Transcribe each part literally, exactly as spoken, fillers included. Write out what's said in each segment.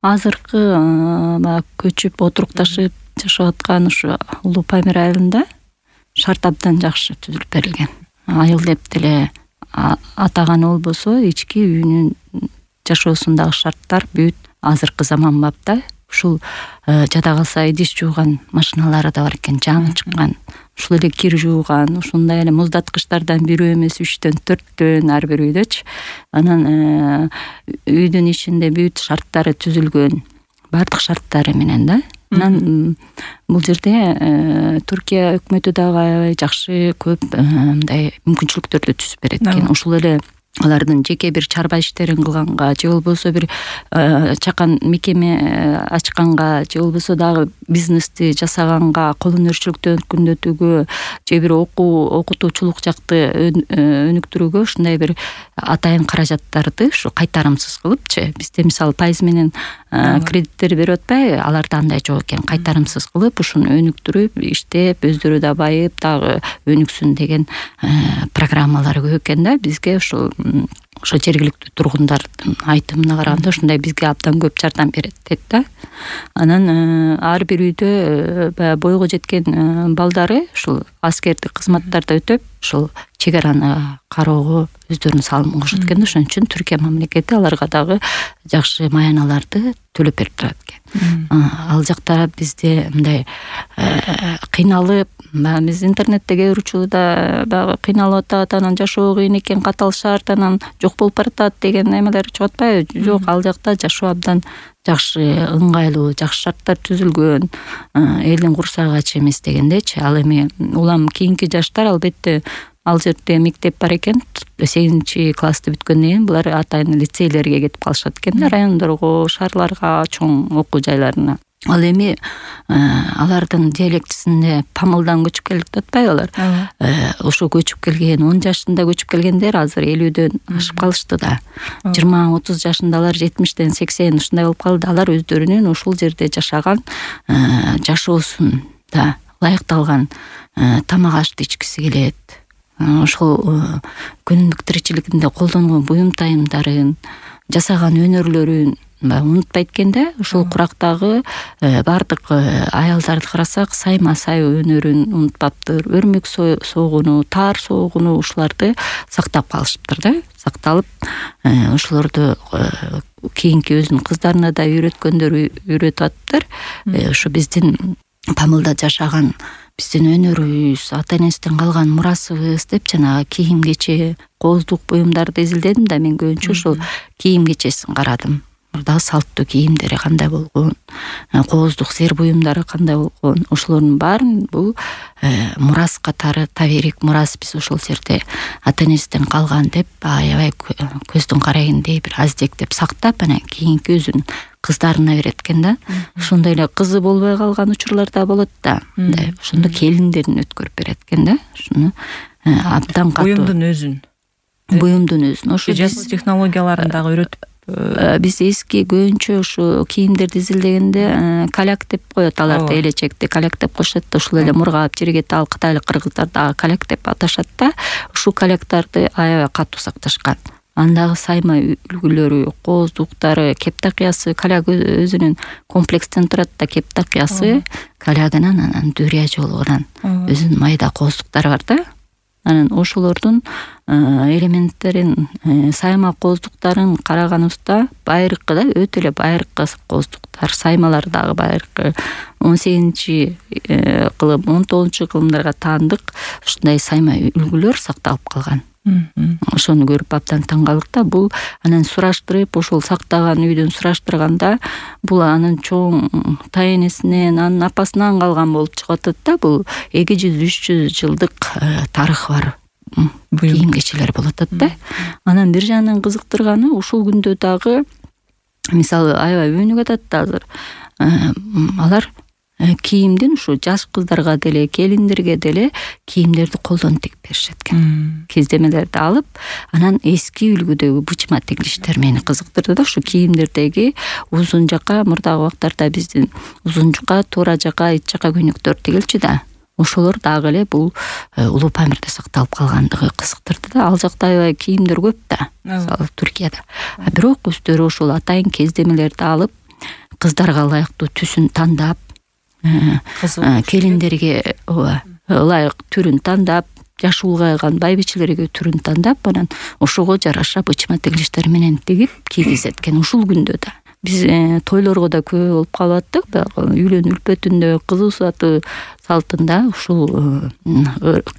азыркы баягы көчүп отурукташып жашап аткан ушу Улуу Памир айылында шарт абдан жакшы түзүлүп берилген. Айыл деп деле атаганы болбосо ички үйүнүн жашоосундагы шарттар бүт азыркы заманбапта. Ушул жада калса идиш жууган машиналары да бар экен, жаңы чыккан. Ушул эле кир жууган, ушундай эле муздаткычтардан бирөө эмес, үчтөн, төрттөн ар бир үйдөчү. Анан үйдүн ичинде бүт шарттары түзүлгөн, бардык шарттары менен да. Анан бул жерде Туркия өкмөтү дагы аябай жакшы, көп мындай мүмкүнчүлүктөрдү түзүп берет экен. Ушул эле алардын жеке бир чарба иштерин кылганга же болбосо бир чакан мекеме ачканга же болбосо дагы бизнести жасаганга, кол өнөрчүлүктү өркүндөтүүгө же бир окуу окутуучулук жакты өнүктүрүүгө ушундай бир атайын каражаттарды ушу кайтарымсыз кылыпчы, бизде мисалы пайыз менен кредиттер берип атпайбы, аларда андай жок экен. Кайтарымсыз кылып ушуну өнүктүрүп, иштеп, өздөрү да байып, дагы өнүксүн деген программалар көп экен да. Бизге ушул ошо жергиликтүү тургундардын айтымына караганда ушундай бизге абдан көп жардам берет дейт да. Анан ар бир үйдө баягы бойго жеткен балдары ушул аскердик кызматтарда өтөп, ушул чек араны кароого өздөрүнүн салымын кошот экен. Ошон үчүн Түркия мамлекети аларга дагы жакшы маяналарды төлөп берип турат экен. Ал жакта бизде мындай кыйналып, биз интернетте кээ бир учурда баягы кыйналып атат, анан жашоо кыйын экен, катал шарт, анан жок болуп баратат деген эмелер чыгып атпайбы? Жок, ал жакта жашоо абдан жакшы, ыңгайлуу, жакшы шарттар түзүлгөн, элдин курсагы ач эмес дегендечи. Ал эми улам кийинки жаштар албетте ал жерде мектеп бар экен, сегизинчи классты бүткөндөн кийин булар атайын лицейлерге кетип калышат экен, райондорго, шаарларга, чоң окуу жайларына. Ал эми алардын диалектисинде Памылдан көчүп келдик деп атпайбы алар? Ошо көчүп келген, он жашында көчүп келгендер азыр элүүдөн ашып калышты да. жыйырма отуз жашындалар жетимиштен сексен ушундай болуп калды. Алар өздөрүнүн ушул жерде жашаган жашоосун да ылайыкталган тамак ашты ичкиси келет. Ошол күнүмдүк тиричилигинде колдонгон буюм тайымдарын, жасаган өнөрлөрүн унутпайт экен да. Ушул курактагы бардык аялдарды карасак, сайма сай өнөрүн унутпаптыр. Өрмөк согуну, таар согуну ушуларды сактап калышыптыр да. Сакталып, ошолорду кийинки өзүнүн кыздарына да үйрөткөндөр үйрөтүп атыптыр. Ушу биздин Памылда жашаган биздин өнөрүбүз, ата энесинен калган мурасыбыз деп жанагы кийим кече, кооздук буюмдарды изилдедим да, мен көбүнчө ошол кийим кечесин карадым. Мурдагы салттуу кийимдери кандай болгон, кооздук сер буюмдары кандай болгон, ошолордун баарын бул мурас катары, таберик мурас биз ошол жерде ата энесинен калган деп аябай көздүн карайгындай бир аздектеп сактап, анан кийинки өзүнүн кыздарына берет экен да. Ошондой эле кызы болбой калган учурлар да болот да. Мындай ошондо келиндерин өткөрүп берет экен да. Ушуну абдан катуу. Буюмдун өзүн. Буюмдун өзүн. Ошо жасоо технологияларын дагы үйрөтүп биз эски көбүнчө ушу кийимдерди изилдегенде каляк деп коет аларды, элечекти каляк деп коюшат. Ушул эле мургап жергет ал кытайлык кыргыздар дагы каляк деп аташат да. Ушул каляктарды аябай катуу сакташкан. Андагы сайма үлгүлөрү, кооздуктары, кептакыясы, каляк өзүнүн комплекстен турат да, кептакыясы, калягынан, анан дүрия жолугунан өзүнүн майда кооздуктары бар да. Анан ошолордун элементтерин, сайма кооздуктарын караганыбызда байыркы да, өтө эле байыркы кооздуктар, саймалар дагы байыркы он сегизинчи кылым, он тогузунчу кылымдарга таандык ушундай сайма үлгүлөр сакталып калган. Ошону көрүп абдан таң калдык да. Бул анан сураштырып, ошол сактаган үйдөн сураштырганда, бул анын чоң тайенесинен, анын апасынан калган болуп чыгып атат да. Бул эки жүз үч жүз жылдык тарыхы бар кийим кечелер болуп атат да. Анан бир жагынан кызыктырганы, ушул күндө дагы мисалы аябай өнүгүп атат да азыр. Алар кийимдин ушу жаш кыздарга деле, келиндерге деле кийимдерди колдон тигип беришет экен. Кездемелерди алып, анан эски үлгүдөгү бычма тигилиштер мени кызыктырды да. Ушу кийимдердеги узун жака, мурдагы убактарда биздин узун жака, туура жака, ич жака көйнөктөр тигилчү да. Ошолор дагы эле бул Улуу Памирде сакталып калгандыгы кызыктырды да. Ал жакта аябай кийимдер көп да, мисалы Түркияда. А бирок өздөрү ошол атайын кездемелерди алып, кыздарга ылайыктуу түсүн тандап, келиндерге ооба ылайык түрүн тандап, жашы улгайган байбичелерге түрүн тандап, анан ошого жараша бычма тигилиштер менен тигип кийгизет экен. Ушул күндө да биз тойлорго да көп болуп калаттык, дагы үйлөнүү үлпөтүндө, кыз усаты салтында ушул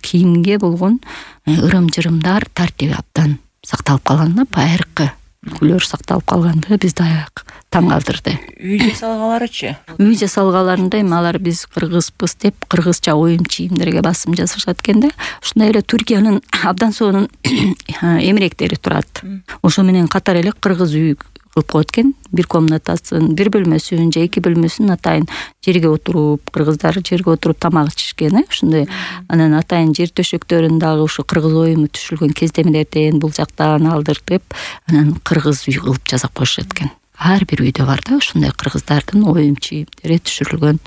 кийимге болгон ырым-жырымдар, тартиби абдан сакталып калган да, байыркы үлгүлөр сакталып калган да, бизди аяк таң калтырды. Үй жасалгаларычы? Үй жасалгаларында эми алар биз кыргызбыз деп кыргызча оюм чийимдерге басым жасашат экен да. Ушундай эле Түркиянын абдан сонун эмеректери турат. Ошо менен катар эле кыргыз үй кылып коет экен. Бир комнатасын, бир бөлмөсүн же эки бөлмөсүн атайын жерге отуруп, кыргыздар жерге отуруп тамак ичишкен, ушундай. Анан атайын жер төшөктөрүн дагы ушу кыргыз оюму түшүлгөн кездемелерден бул жактан алдыртып, анан кыргыз үй кылып жасап коюшат экен. Ар бир үйдө бар да ушундай кыргыздардын оюм чийимдери түшүрүлгөн.